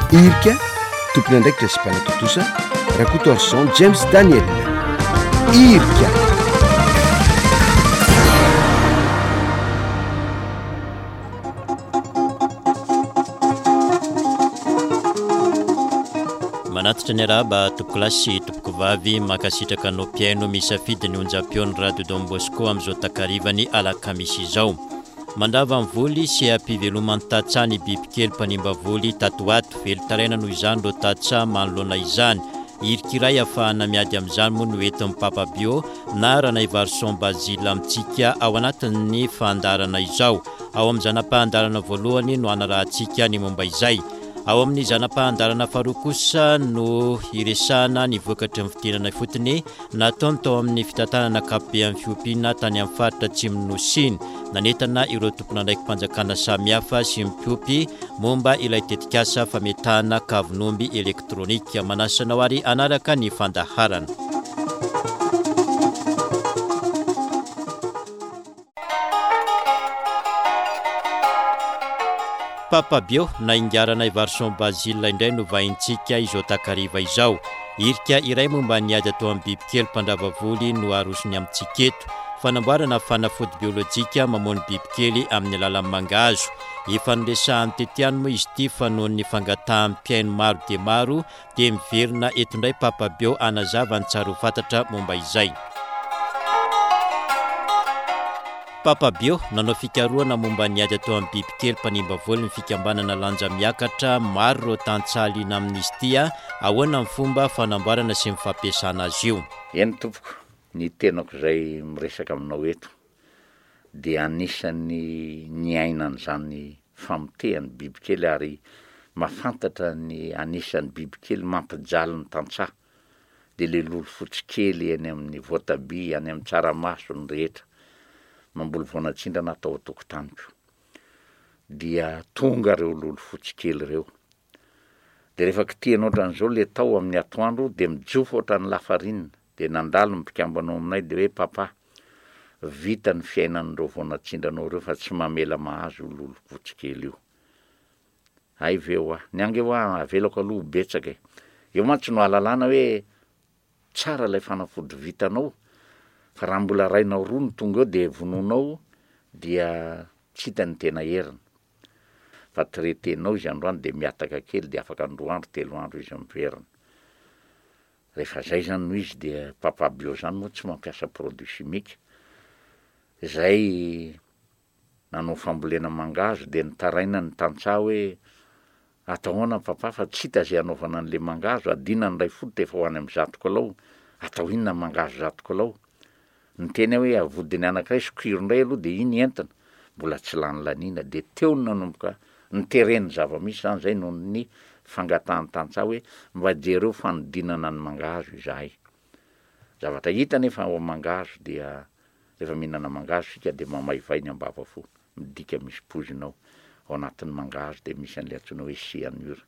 Irika, tompon'andraikitra sy mpanatontosa, Rakotoarison James Daniel. Irika. Manatitra ny arahaba tompokolahy sy tompokovavy, mankasitraka anao mpihaino misafidy ny onjam-peon'ny Radio Don Bosco amin'izao takarivan'ny alakamisy izao. Mandrava ny voly sy ampiveloman'ny tantsaha ny bibikely mpanimba voly tato ho ato. Velon-taraina noho izany ireo tantsaha manoloana izany. Hirika iray ahafahana miady amin'izany moa no entin'ny Papa Bio na Ranaivarison Basile amintsika ao anatin'ny fandaharana izao. Ao amin'ny zana-pahandaharana voalohany no hanarahantsika ny momba izay. Ao amin'ny zana-pahandaharana faharoa kosa no hiresahana ny vokatry ny fidinana ifotony Nataony tao amin'ny fitantanana ankapobean'ny fiompiana tany amin'ny faritra atsimon'ny Nosy iny. Nanentana ireo tompon'andraiki-panjakana samihafa sy ny mpiompy momba ilay tetikasa fametahana kavin'omby elektronika. Manasa anao ary hanaraka ny fandaharana. Papa Bio na Ingahy Ranaivarison Basile indray no vahintsika izao takariva izao. Hirika iray momba ny ady atao amin'ny bibikely mpandrava voly no arosony amintsika eto. Fanamboarana fanafody biolojika mamono bibikely amin'ny alalan'ny mangahazo. Efa noresahany teto ihany moa izy ity fa noho ny fangatahan'ny mpihaino maro dia maro Dia miverina eto indray Papa Bio hanazava ny tsara ho fantatra momba izay. Papa Bio, nanao fikarohana momba ny ady atao amin'ny bibikely mpanimba voly ny fikambanana Lanja Miakatra, maro ireo tantsaha liana amin'izy ity, ahoana ny fomba fanamboarana sy ny fampiasana azy io? Eny tompoko, ny tenako izay miresaka aminao eto dia anisan'ny niaina an'izany famotehan'ny bibikely ary mahafantatra ny anisan'ny bibikely mampijaly ny tantsaha dia le lolo fotsy kely eny amin'ny voatabia, any amin'ny tsaramaso, ny rehetra. Mamboly voanatsindrana aho tao an-tokotaniko. Dia tonga ireo lolo fotsy kely ireo. Dia rehefa kitihina ohatran'izao le tao amin'ny atoandro dia mijofo ohatran'ny lafarinina. Dia nandalo ny mpikambana ao aminay dia hoe Papa, vita ny fiainan'ireo vao natsindranao ireo fa tsy mamela mahazo io lolompotsy kely io. Hay ve hoa. Ny ange hoa avelako aloha ho betsaka e. Eo mantsy no ahalalana hoe tsara ilay fanafody vitanao fa raha mbola rainao roa no tonga eo dia vonoinao dia tsy hita ny tena heriny. Fa traiter-nao izy androany dia mihataka kely dia afaka ny roa andro telo andro izy miverina. Rehefa zay zany no izy dia papa bio zany moa tsy mampiasa produit chimique, zay nanao fambolena mangahazo dia nitaraina ny tantsaha hoe atao ahoana papa fa tsy hita zay hanaovana an'le mangahazo, adina ny iray fototra efa ho any amin'ny zato kilao, atao inona mangahazo zato kilao? Niteny aho hoe avodiny anankiray sokiro indray aloha dia iny entina, mbola tsy lany laniana, dia teo no nanomboka nitereny zava-misy izany izay noho ny fangatahan'ny tantsaha hoe mba jereo fanodinana ny mangahazo izahay. Zavatra hita anefa ao amin'ny mangahazo dia rehefa mihinana mangahazo isika dia mamaivay ny ambavafo, midika misy poizina ao, ao anatin'ny mangahazo dia misy an'ilay antsoina hoe cyanure,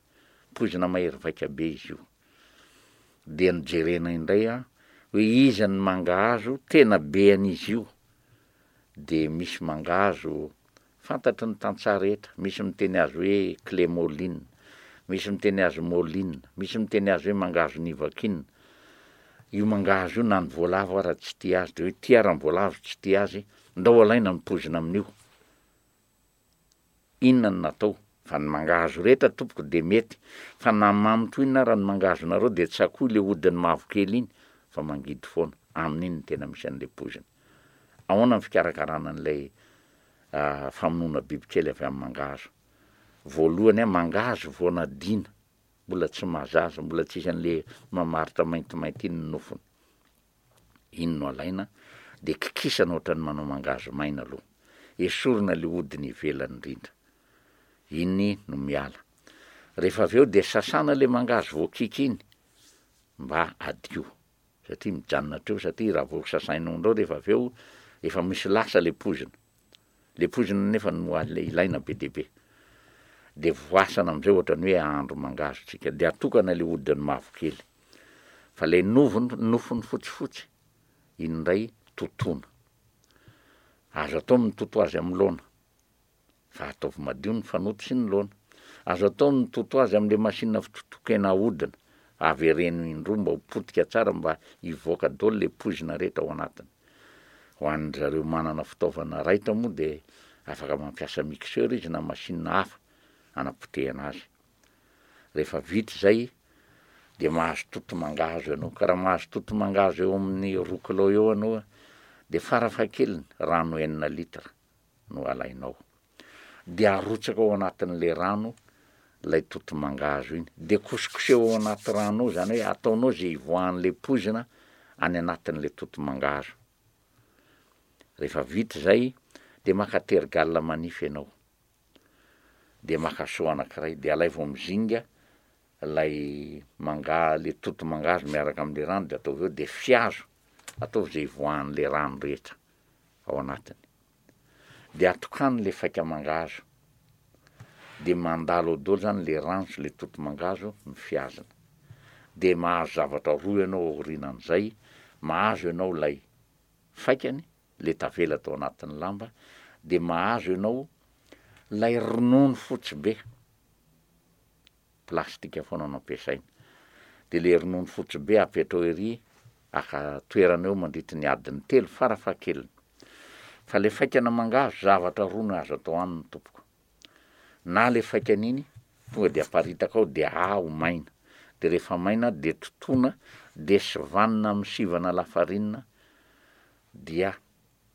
poizina mahery vaika be izy io. Dia nojerena indray an, hoe iza ny mangahazo tena be an'izy io, dia misy mangahazo fantatry ny tantsaha rehetra, misy miteny azy hoe clemoline, misy miteny azy moline, misy miteny azy hoe mangahazo nivakin, io mangahazo io na ny voalavo ara tsy tia azy, dia hoe ity ara ny voalavo tsy tia azy, ndao alaina ny poizina amin'io. Inona no natao? Fa ny mangahazo rehetra tompoko dia mety, fa na mamy toy inona ara ny mangahazonareo dia tsakoy le hodiny mavokely iny fa mangidy foana, amin'iny no tena misy an'le poizina. Ahoana ny fikarakarana an'ilay famonoana bibikely avy amin'ny mangahazo? Voalohany an, mangahazo vao nadiana, mbola tsy mahazaza, mbola tsisy an'le mamaritra maintimainty iny ny nofony. Iny no alaina dia kikisana ohatran'ny manao mangahazo maina aloha. Esorina ilay hodiny ivelany indrindra. Iny no miala. Rehefa avy eo dia sasana ilay mangahazo voakiky iny mba hadio. Satria mijanona hatreo satria raha vao sasainao indray rehefa avy eo efa misy lasa ilay poizina. Ilay poizina nefa no ilaina be dia be. Dia voasana amin'izay ohatran'ny hoe ahandro mangahazo tsika. Dia atokana ilay hodiny mavokely. Fa ilay novony, nofony fotsifotsy, iny indray totoina. Azo atao ny mitoto azy amin'ny laona. Fa ataovy madio ny fanoto sy ny laona. Azo atao ny mitoto azy amin'ilay machine fitotoan-kena ahodina, avereno indroa mba ho potika tsara mba hivoaka daholo ilay poizina rehetra ao anatiny. Ho an-dry zareo manana fitaovana raitra moa dia afaka mampiasa mixeur izy na machine hafa hanapotehana azy. Rehefa vita izay dia mahazo toto mangahazo ianao, ka raha mahazo toto mangahazo eo amin'ny roa kilao eo ianao dia farafahakeliny rano enina litre no alainao. Dia arotsaka ao anatin'ilay rano ilay toto mangahazo iny, dia kosokoseho ao anaty rano ao, izany hoe ataonao izay hivoahan'ilay poizina any anatin'ilay toto mangahazo. Rehefa vita izay dia maka tergal manify ianao. Dia maka seau anankiray, dia alaivo amin'ny zinga ilay manga, ilay toto mangahazo miaraka amin'ilay rano dia ataovy eo, dia fihazo, ataovy izay hivoahan'ilay rano rehetra ao anatiny. Dia atokano ilay faika mangahazo, dia mandalo ao daholo izany ilay rano sy ilay toto mangahazo ny fihazana. Dia mahazo zavatra roa ianao aorianan'izay, mahazo ianao ilay faikany, le tavela tao anatin'ny lamba de mahazo ianao lay ronono fotsy be, plastika foana no ampiasaina, de le ronono fotsy be apetrao ery aka toerana eo mandritry ny adiny telo farafahakeliny, fa le faikana mangahazo zavatra roa no azo atao aminy tompoko, na le faikana iny tonga de aparitaka ao de aho maina, de rehefa maina de totoina de sivanina amin'ny sivana lafarinina dia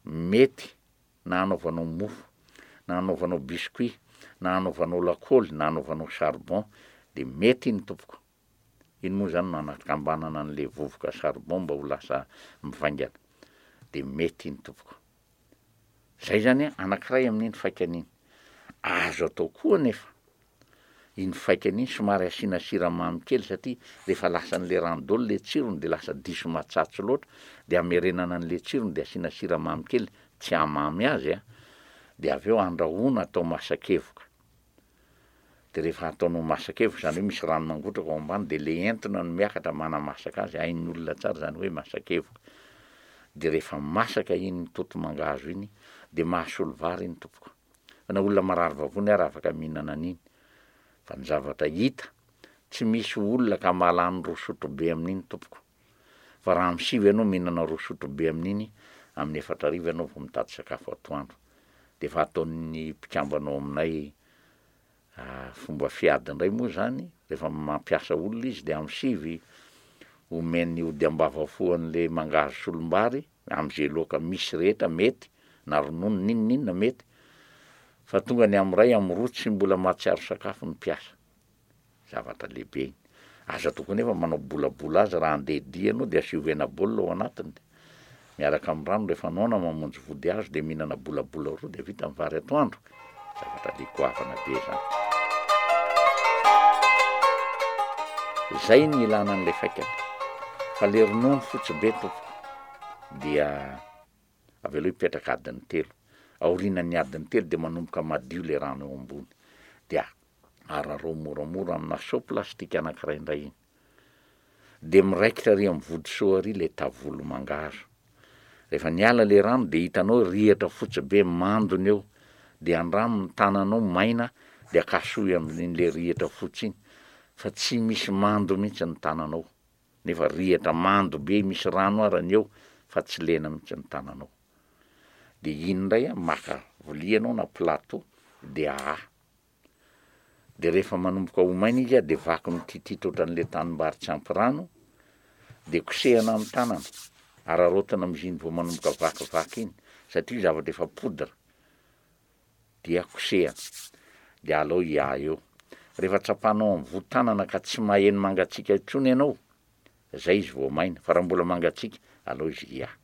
mety na hanaovanao mofo, na hanaovanao biscuit, na hanaovanao lakôly, na hanaovanao charbon de mety iny tompoko. Iny moa zany no anakambanana an'le vovoka charbon mba ho lasa mivaingana. De mety iny tompoko. Zay zany anankiray amin'iny faikany iny. Azo atao koa anefa iny faikany iny somary asiana siramamy kely satria rehefa lasan'le rano daholo le tsirony de lasa diso matsatso loatra de amerenana an'le tsirony de asiana siramamy kely tsy hahamamy azy a, de avy eo andrahoina atao masakevoka. De rehefa ataonao masaka eo, zany hoe misy rano mangotraka ao ambany de le entona no miakatra manamasaka azy, hain'ny olona tsara zany hoe masakevoka. De rehefa masaka iny toto mangahazo iny de mahasolo vary iny tompoko. Fa na olona marary vavony ara afaka mihinana an'iny. Fa ny zavatra hita, tsy misy olona ka mahalany roa sotrobe amin'iny tompoko. Fa raha amin'ny sivy ianao mihinana roa sotrobe amin'iny, amin'ny efatra hariva ianao vao mitady sakafo atoandro. De efa ataon'ny mpikambana ao aminay fomba fiady indray moa izany, rehefa mampiasa olona izy de amin'ny sivy omeny ody ambavafo an'le mangahazo solombary, am'ze laoka misy rehetra mety, na ronono n'inon'inona mety, fa tonga ny am'ray am'roa tsy mbola mahatsiaro sakafo ny mpiasa. Zavatra lehibe iny. Aza atao koa nefa manao bolabola azy raha andeha dia ianao dia asio hena baolina ao anatiny dia miaraka amin'ny rano rehefa noana mamonjy vody hazo dia mihinana bolabola roa dia vita ny vary atoandro. Zavatra le goavana be zany. Zay ny ilana an'ilay faikany. Fa le ronono fotsy be tompoko dia avelao hipetraka adiny telo. Aorianan'ny adiny telo dia manomboka madio le rano eo ambony. Dia ararao moramora amina seau plastique anankiray indray iny. Dia miraikitra ary amin'ny vody seau ary ilay tavolo mangahazo. Rehefa niala ilay rano dia hitanao rihatra fotsy be mandona eo. Dia andramo ny tananao maina dia akasohy amin'ilay rihatra fotsy iny fa tsy misy mando mihitsy ny tananao. Nefa rihatra mando be misy rano ara ny eo fa tsy lena mihitsy ny tananao. Dia iny indray an, maka vilia ianao na plateau dia ahaha. De rehefa manomboka ho maina izy de vaky mititita ohatran'le tanimbary tsy ampy rano, de kosehana amin'ny tanana, araraotina amin'izy iny vao manomboka vakivaky iny, satria io zavatra efa poudre, dia kosehana, de alao hiaha eo. Rehefa tsapanao amin'ny voho tanana ka tsy maheno mangatsiaka intsony ianao, zay izy vao maina, fa raha mbola mangatsiaka, alao izy hiaha.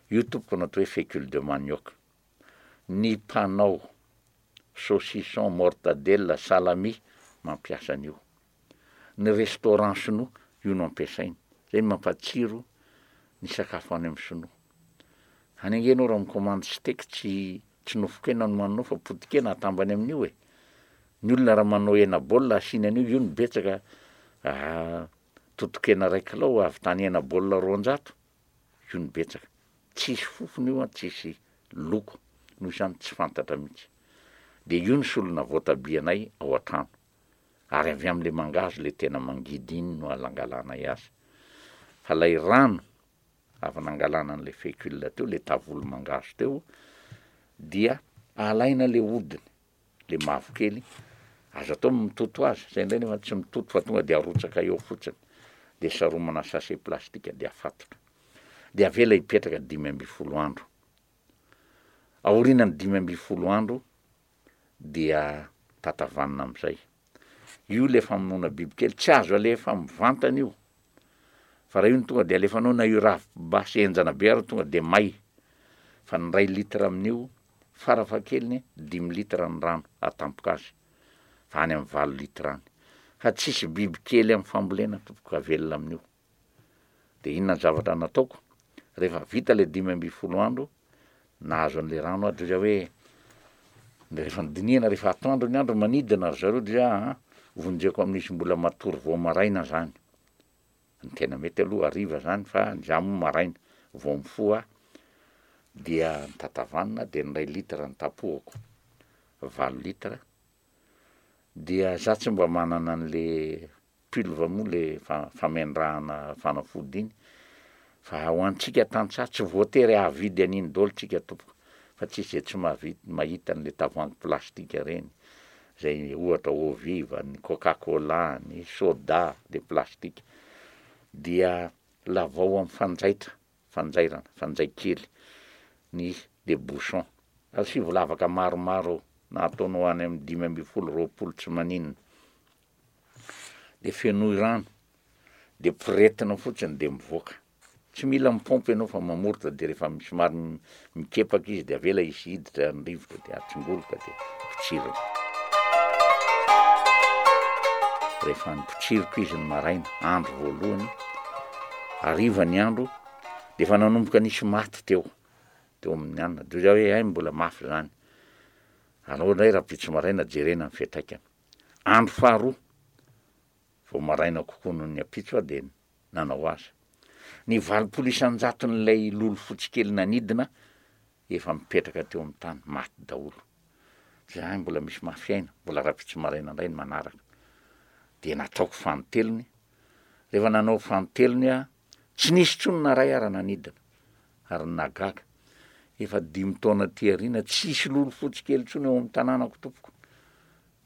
Io tompoko no atao hoe fécule de manioc. Ny mpanao saucisson, mortadelle, salami mampiasa an'io. Ny restaurant sinoa io no ampiasainy. Zay no mampatsiro ny sakafo any amin'ny sinoa. Any ange ianao raha mi-commande steak tsy tsy nofon-kena no haninao fa poti-kena atambany amin'io e. Ny olona raha manao hena baolina asiany an'io, io no betsaka totokena iray kilao ahavitany hena baolina 200. Io no betsaka. Tsisy fofona io an, tsisy loko, noho izany tsy fantatra mihitsy. Dia io no solona voatabia anay ao an-trano. Ary avy amin'ilay mangahazo ilay tena mangidy iny no alangalanay azy. Fa ilay rano avy nangalana an'ilay fécule teo, ilay tavolo mangahazo teo, dia alaina ilay hodiny, ilay mavokely, azo atao ny mitoto azy, zay indray nefa tsy mitoto fa tonga dia arotsaka eo fotsiny, dia saromana sachet plastique dia afatotra. Dia avela hipetraka 15 andro. Aorianan'ny 15 andro dia tatavanina amin'izay. Io ilay famonoana bibikely, tsy azo alefa mivantana io, fa raha io no tonga dia alefanao na io ravim-basy henjana be ary tonga dia may, fa ny iray litre amin'io farafahakeliny dimy litre ny rano atampoka azy, fa any amin'ny valo litre any. Fa tsisy bibikely amin'ny fambolena tompoko ka velona amin'io. Dia inona ny zavatra nataoko? Rehefa vita ilay 15 andro, nahazo an'ilay rano aho, dia hoe, rehefa nodinihana rehefa atoandro ny andro manidina ry zareo dia aa vonjeko amin'izy mbola matory vao maraina zany. Ny tena mety aloha hariva zany fa ny za moa maraina vao mifoha aho dia nitatavanina dia ny iray litre nitapohako, valo litre, dia za tsy mba manana an'le Pulve moa le famendrahana fanafody iny fa ho antsika tantsaha tsy voatery hahavidy an'iny daholo tsika tompoko fa tsisy zay tsy mahavita mahita an'le tavoahangy plastika reny zay ohatra eau vive, ny coca cola, ny soda le plastika dia lavao am fanjaitra fanjairana fanjay kely ny le bouchon asivo lavaka maromaro ao na ataonao any am 15 20 tsy maninona de fenoy rano, de poretina fotsiny de mivoaka, tsy mila mipaompy ianao fa mamoritra de rehefa somary mikepaka izy de avela hisy hiditra ny rivotra de atsingoloka de potsirina. Rehefa nipotsiriko izy ny maraina, andro voalohany, hariva ny andro, de efa nanomboka nisy maty teo, teo amin'ny anona, de hoy zaho hoe hay mbola mafy zany, alao indray rahampitso maraina jerena ny fiantraikany. Andro faharoa, vao maraina kokoa noho ny ampitso aho dia nanao azy. Ny 80 isan-jaton'ilay lolo fotsy kely nanidina efa mipetraka teo amin'ny tany, maty daholo. Izahay mbola misy mafy aina, mbola rahampitso maraina indray ny manaraka. Dia nataoko fanintelony. Rehefa nanao fanintelony aho, tsy nisy intsony na iray ara nanidina. Ary ny nahagaga, efa dimy taona aty aoriana, tsisy lolo fotsy kely intsony ao amin'ny tanànako tompoko.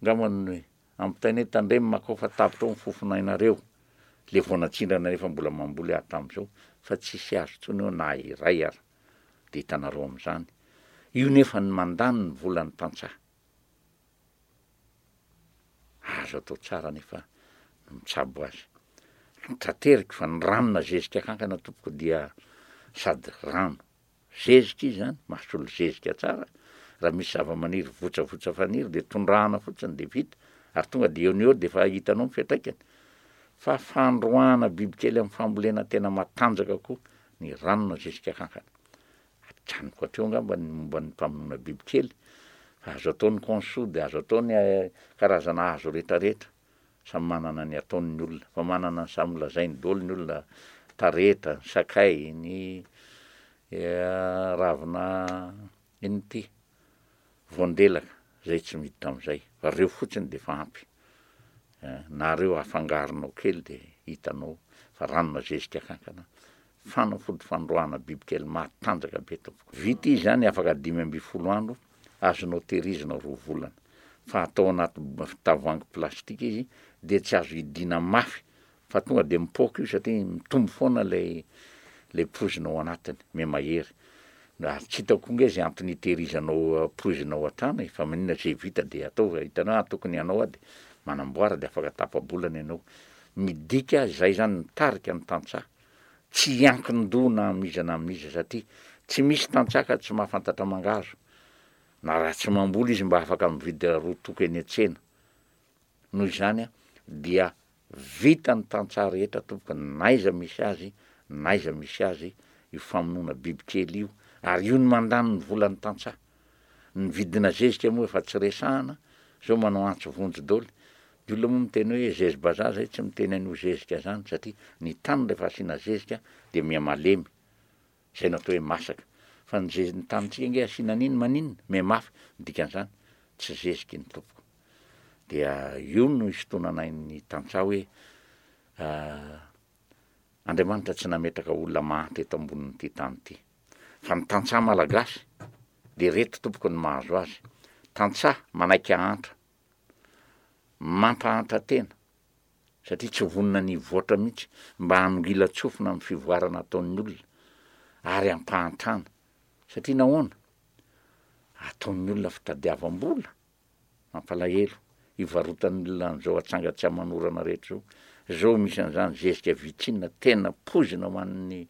Angamba ny ampitaina hoe tandremo makao fa tapitra ao ny fofonainareo. Le vao natsindrana nefa mbola mamboly aho hatramin'izao fa tsisy azo intsony eo na iray ara. Dia hitanareo amin'izany. Io nefa ny mandany ny volan'ny tantsaha. Azo atao tsara nefa ny mitsabo azy. Trateriko fa ny rano nazezika kankana tompoko dia sady rano Zezika izy zany, mahasolo zezika tsara, raha misy zava-maniry votsavotsa faniry de tondrahana fotsiny de vita, ary tonga de eo no eo de efa hitanao ny fiantraikany. Fa fandroahana bibikely amin'ny fambolena tena matanjaka koa ny ranona zezika kankana. Ajanoko hatreo angamba ny momba ny mpamonoana bibikely, fa azo atao ny consoude, azo atao ny karazana hazo retraretra. Samy manana ny ataony ny olona, fa manana ny samy lazainy daholo ny olona, tareta, ny sakay, ny ravina inona ity, voandelaka, zay tsy miditra amizay, fa reo fotsiny de efa ampy, na reo afangaronao kely de hitanao fa ranona zezika kankana, fanafody fandroahana bibikely matanjaka be tompoko. Vita izy zany afaka 15 andro, azonao tehirizina roa volana, fa atao anaty tavoahangy plastika izy dia tsy azo hidiana mafy fa tonga dia mipoaka io satria mitombo foana ilay ilay poizina ao anatiny, mihamahery. Ary tsy hitako koa nge izay antony hitehirizanao poizina ao an-trano e, fa maninona izay vita dia atao, hitanao hoe tokony hanao aho dia manamboara dia afaka tapa-bolana ianao. Midika izay zany mitarika ny tantsaha tsy hiankin-doha na amin'iza na amin'iza satria tsy misy tantsaha ka tsy mahafantatra mangahazo na raha tsy mamboly izy mba afaka mividy roa toko eny an-tsena. Noho izany dia vita ny tantsaha rehetra tompoko n'aiza misy azy n'aiza misy azy io famonoana bibikely io ary io no mandany ny volan'ny tantsaha. Ny vidina zezika moa efa tsy resahana, zao manao antso vonjy daholo, ny olona moa miteny hoe zezi-bazaha zay tsy miteny an'io zezika zany satria ny tany rehefa asiana zezika dia miha malemy, zay no atao hoe masaka, fa ny zezi- ny tanintsika ange asiana an'iny maninona? Miha mafy, ny dikan'izany tsy zezika iny tompoko. Dia io no isintonanay ny tantsaha hoe Andriamanitra tsy nametraka olona mahantra eto ambonin'ity tany ity. Fa ny tantsaha malagasy dia ireto tompoko ny mahazo azy, tantsaha manaiky hahantra, mampahantra tena satria tsy vonona ny hivoatra mihitsy mba hanongilan-tsofina amin'ny fivoarana ataon'ny olona ary hampahantrana satria nahoana? Ataon'ny olona fitadiavam-bola. Mampalahelo, ivarotan'ny olona an'izao atsanga tsy aman'orana rehetra izao. Izao misy an'izany zezika vitrine tena poizina ho an'ny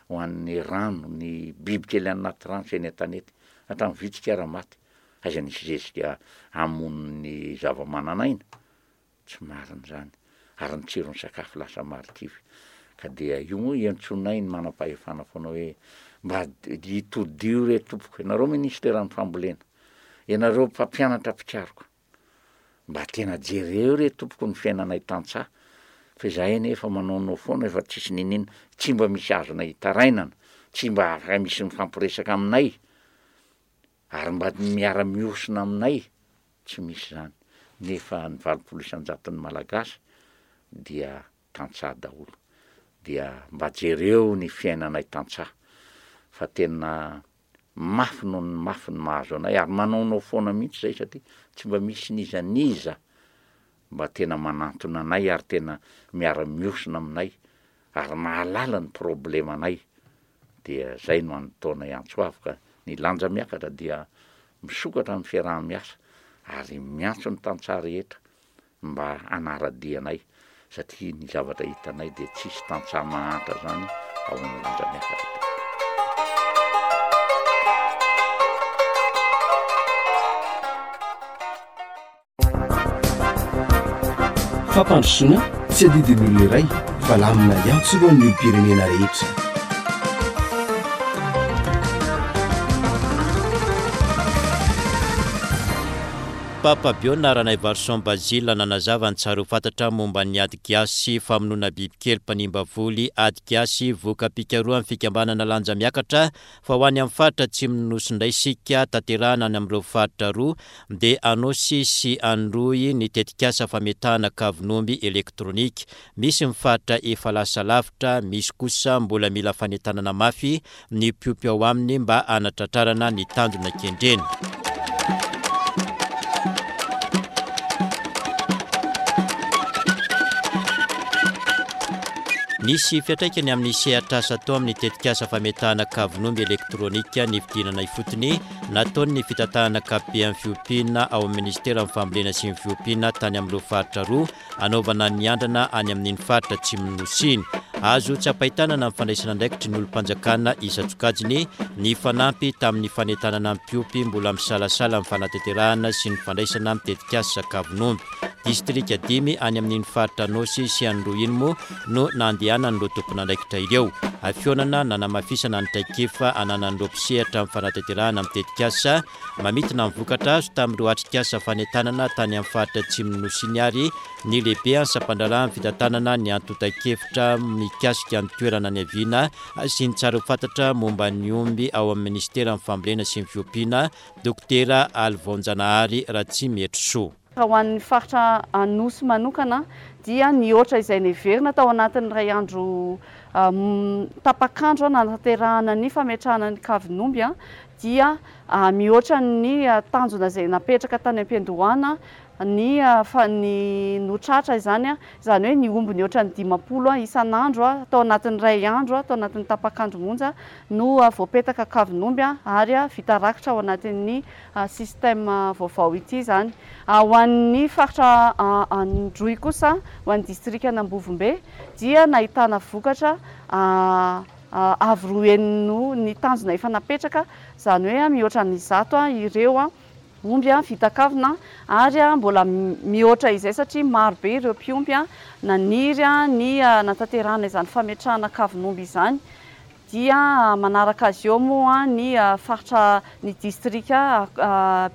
ho an'ny rano, ny bibikely any anaty rano sy eny an-tanety. Hatramin'ny vitsika ara maty. Aiza nisy zezika hamono ny zava-manan'aina? Tsy marina izany. Ary ny tsiron'ny sakafo lasa marikivy. Ka dia io moa iantsoanay ny manam-pahefana foana hoe mba itodio re tompoko, ianareo minisiteran'ny fambolena, ianareo mpampianatra mpikaroka, mba tena jereo re tompoko ny fiainanay tantsaha fa izahay anie efa manaonao foana efa tsisy niniana, tsy mba misy azonay itarainana, tsy mba afaka misy mifampiresaka aminay. Ary mba miara mihosina aminay tsy misy izany nefa ny 80 isan-jaton'ny Malagasy dia tantsaha daholo dia mba jereo ny fiainanay tantsaha fa tena mafy noho ny mafy ny mahazo anay ary manaonao foana mihitsy zay satria tsy mba misy n'iza n'iza mba tena manantona anay ary tena miara mihosina aminay ary mahalala ny problemanay dia zay no antaonay antso avo ka ny lanja miakatra dia misokatra ny fiaraha-miasa ary miantso ny tantsaha rehetra mba hanara-dia anay satria ny zavatra hitanay dia tsisy tantsaha mahantra zany ao amin'ny lanja miakatra tompoko. Fampandrosoana tsy adidin'ny olona iray fa lamina iantsorohan'ny olom-pirenena rehetra. Papa Biona Ranaivarison Basile nanazava ny tsara ho fantatra momba ny ady gasy famonoana bibikely mpanimba voly ady gasy voka-pikarohan'ny fikambanana Lanja Miakatra Fa ho any amin'ny faritra atsimon'ny Nosy indray isika, tanterahana any amin'ireo faritra roa, dia Anôsy sy Androy ny tetikasa fametahana kavin'omby elektronika. Misy ny faritra efa lasa lavitra, misy kosa mbola mila fanentanana mafy ny mpiompy ao aminy mba hanatratrarana ny tanjona kendrena. Nisy fiantraikany amin'ny sehatr'asa atao amin'ny tetikasa fametahana kavin'omby elektronika ny fidinana ifotony nataon'ny fitantanana ankapoben'ny fiompiana ao amin'ny minisiteran'ny Fambolena sy ny Fiompiana tany amin'ireo faritra roa hanaovana ny andrana any amin'iny faritra atsimon'ny Nosy iny. Azo tsapain-tanana ny fandraisana andraikitry ny olom-panjakana isan-tsokajiny nifanampy tamin'ny fanentanana ny mpiompy mbola misalasala amin'ny fanatanterahana sy ny fandraisana ny tetikasa kavin'omby. Distrika dimy any amin'iny faritra Anôsy sy Androy iny moa no nandehanan'ireo tompon'andraikitra ireo. Fihaonana nanamafisana ny traikefa ananan'ireo mpisehatra amin'ny fanatanterahana ny tetikasa mamintina ny vokatra azo tamin'ireo atrikasa fanentanana tany amin'ny faritra atsimon'ny Nosy iny ary ny lehibean'ny sampandraharahan'ny fitantanana ny antontan-kevitra mikasika ny toerana niaviana sy ny tsara ho fantatra momba ny omby ao amin'ny minisiteran'ny Fambolena sy ny Fiompiana, Dokotera Alivaonjanahary Ratsimihetrisoa. Raha ho an'ny faritra Anosy manokana dia nihoatra izay neverina tao anatin'ny iray andro tapak'andro nanatanterahana ny fametrahana ny kavin'omby dia mihoatra ny tanjona izay napetraka tany am-piandohana ny ny no tratra izany, izany hoe ny omby nihoatra ny 50 isan'andro tao anatin'ny iray andro tao anatin'ny tapak'andro monja no voapetaka kavin'omby ary vita rakitra ao anatin'ny système vaovao ity izany. Ho an'ny faritra Androy kosa, ho an'ny distrikan'Ambovombe dia nahitana vokatra avo roa heny noho ny tanjona efa napetraka, izany hoe mihoatra ny 100 ireo omby vita kavina ary mbola mihoatra izay satria maro be ireo mpiompy naniry ny hanatanterahana izany fametrahana kavin'omby izany. Dia manaraka azy eo moa ny faritra ny distrika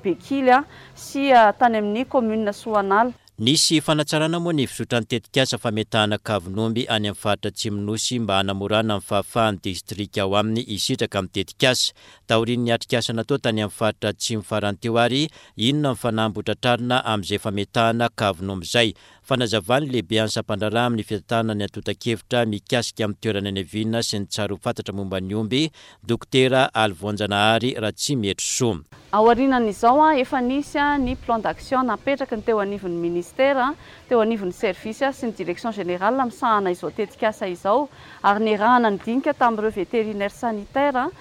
Bekily sy tany amin'ny commune Soanala. Nisy fanatsarana moa ny fizotran'ny tetikasa fametahana kavin'omby any amin'ny faritra Atsimon'ny Nosy mba hanamorana ny fahafahan'ny distrika ao aminy hisitraka amin'ny tetikasa. Taorian'ny atrikasa natao tany amin'ny faritra Atsimo farany teo ary, inona ny fanamby hotratrarina amin'izay fametahana kavin'omby izay? Fanazavan'ny lehibean'ny sampandraharaha amin'ny fitantanana ny antontan-kevitra mikasika amin'ny toerana niaviana sy ny tsara ho fantatra momba ny omby, Dokotera Alivoanjanahary Ratsimihetrisoa. Aorianan'izao, efa nisy ny plan d'action napetraky ny teo anivon'ny Ministera, teo anivon'ny service sy ny Direction générale misahana izao tetikasa izao ary niarahana nidinika tamin'ireo vétérinaires sanitaires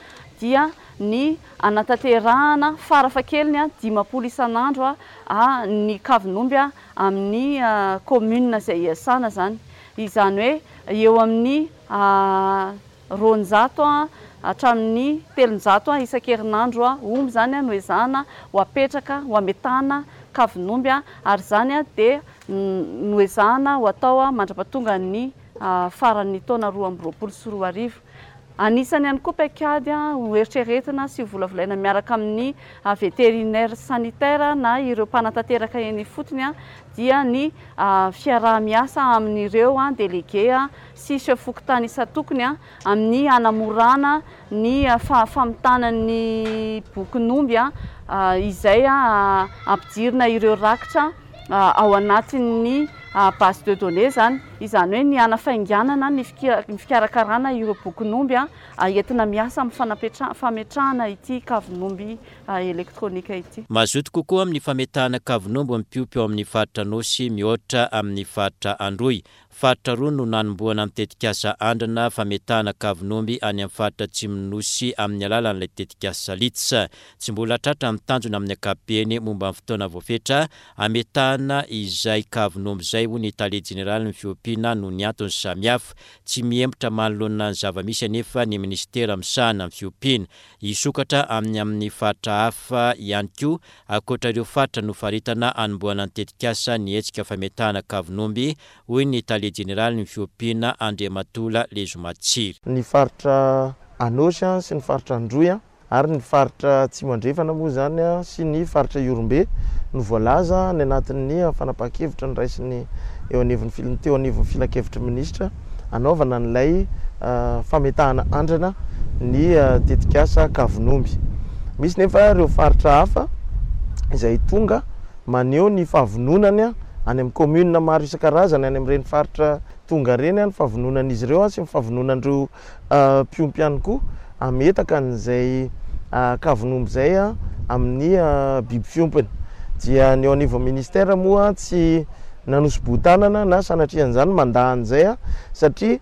dia ny hanatanterahana farafahakeliny 50 isan'andro ny kavin'omby amin'ny commune izay iasana izany. Izany hoe eo amin'ny 200 hatramin'ny 300 isan-kerinandro omby izany no ezahana ho apetraka, ho ametahana kavin'omby ary izany dia noezahana ho atao mandra-pahatongan'ny faran'ny taona 2022. Anisany ihany koa paikady ho eritreretina sy ho volavolaina miaraka amin'ny vétérinaire sanitaire na ireo mpanatanteraka eny ifotony dia ny fiaraha-miasa amin'ireo délégué sy chef fokontany isan-tokony amin'ny hanamorana ny famitana ny bokin'omby izay ampidirina ireo rakitra ao anatin'ny base de données izany, izany hoe ny hanafainganana ny fikarakarana ireo bokin'omby entina miasa amin'ny fametrahana ity kavin'omby elektronika ity. Mazoto kokoa amin'ny fametahana kavin'omby ny mpiompy ao amin'ny faritra Anôsy mihoatra amin'ny faritra Androy. Faritra roa no nanombohana ny tetikasa andrana fametahana kavin'omby any amin'ny faritra atsimon'ny Nosy amin'ny alalan'ilay tetikasa Litz. Tsy mbola tratra ny tanjona amin'ny ankapobeny momba ny fotoana voafetra hametahana izay kavin'omby izay, hoy ny tale jeneralin'ny fiompiana noho ny antony samihafa. Tsy mihemotra manoloana ny zava-misy anefa ny minisitera misahana ny fiompiana. Hisokatra amin'ny amin'ny faritra hafa ihany koa Ankoatra ireo faritra nofaritana hanombohana ny tetikasa ny hetsika fametahana kavin'omby, hoy ny tale jeneralin'ny fiompiana Andriamatola Lezomatsiry. Ny faritra Anôsy sy ny faritra Androy ary ny faritra Atsimo Andrefana moa izany sy ny faritra Ihorombe no voalaza any anatin'ny fanapahan-kevitra noraisin'ny eo anivon'ny teo anivon'ny filankevitry ny minisitra hanaovana an'ilay fametahana andrana ny tetikasa Kavin'omby. Misy nefa ireo faritra hafa izay tonga maneho ny fahavononany any amin'ny commune maro isan-karazany any amin'ireny faritra tonga ireny ny fahavononan'izy ireo sy ny fahavononan'ireo mpiompy ihany koa hametaka an'izay kavin'omby izay amin'ny biby fiompiny. Dia ny eo anivon'ny ministère moa tsy nanosi-boho-tanana na sanatria an'izany mandà an'izay satria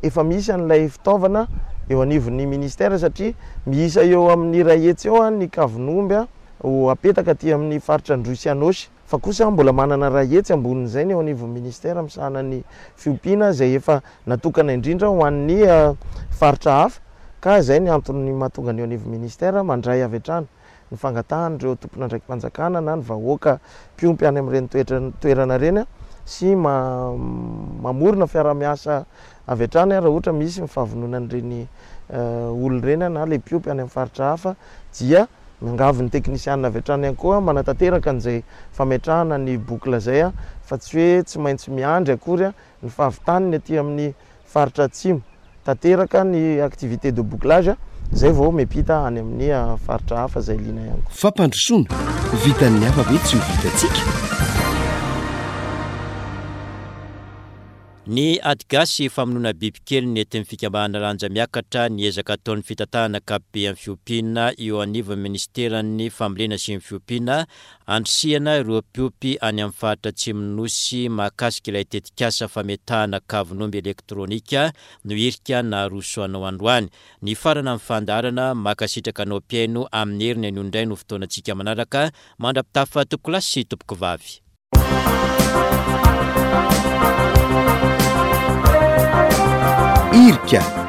efa misy an'ilay fitaovana eo anivon'ny ministère satria miisa eo amin'ny 100 eo ny kavin'omby ho apetaka aty amin'ny faritra Androy sy Anôsy. Fa kosa mbola manana 100 ambonin'izay ny eo anivon'ny ministère misahana ny fiompiana izay efa natokana indrindra ho an'ny faritra hafa ka izay ny antony mahatonga ny eo anivon'ny ministère mandray avy hatrany ny fangatahan'ireo tompon'andraiki-panjakana na ny vahoaka mpiompy any amin'ireny toerana ireny sy mamorona fiaraha-miasa avy hatrany raha ohatra misy ny fahavononan'ireny olona ireny na ilay mpiompy any amin'ny faritra hafa dia miangavy ny teknisianina avy hatrany ihany koa manatanteraka an'izay fametrahana ny boucle izay fa tsy hoe tsy maintsy miandry akory ny fahavitany ny aty amin'ny faritra atsimo. Tanteraka ny activité de bouclage izay vao miampita any amin'ny faritra hafa izay liana ihany koa. Fampandrosoana, vitan'ny hafa ve tsy ho vitantsika? Ny ady gasy famonoana bibikely nentin'ny fikambanana Lanja Miakatra ny ezaka ataon'ny fitantanana ankapobe amin'ny fiompiana eo anivon'ny minisiteran'ny fambolena sy ny fiompiana Andrisihana ireo mpiompy any amin'ny faritra atsimon'ny Nosy mahakasika ilay tetikasa fametahana kavin'omby elektronika no hirika naroso anao androany. Nifarana ny fandaharana, mankasitraka anao mpihaino amin'ny heriny anio indray no fotoanantsika manaraka, mandra-pitafa tompokolahy sy tompokovavy. Irika.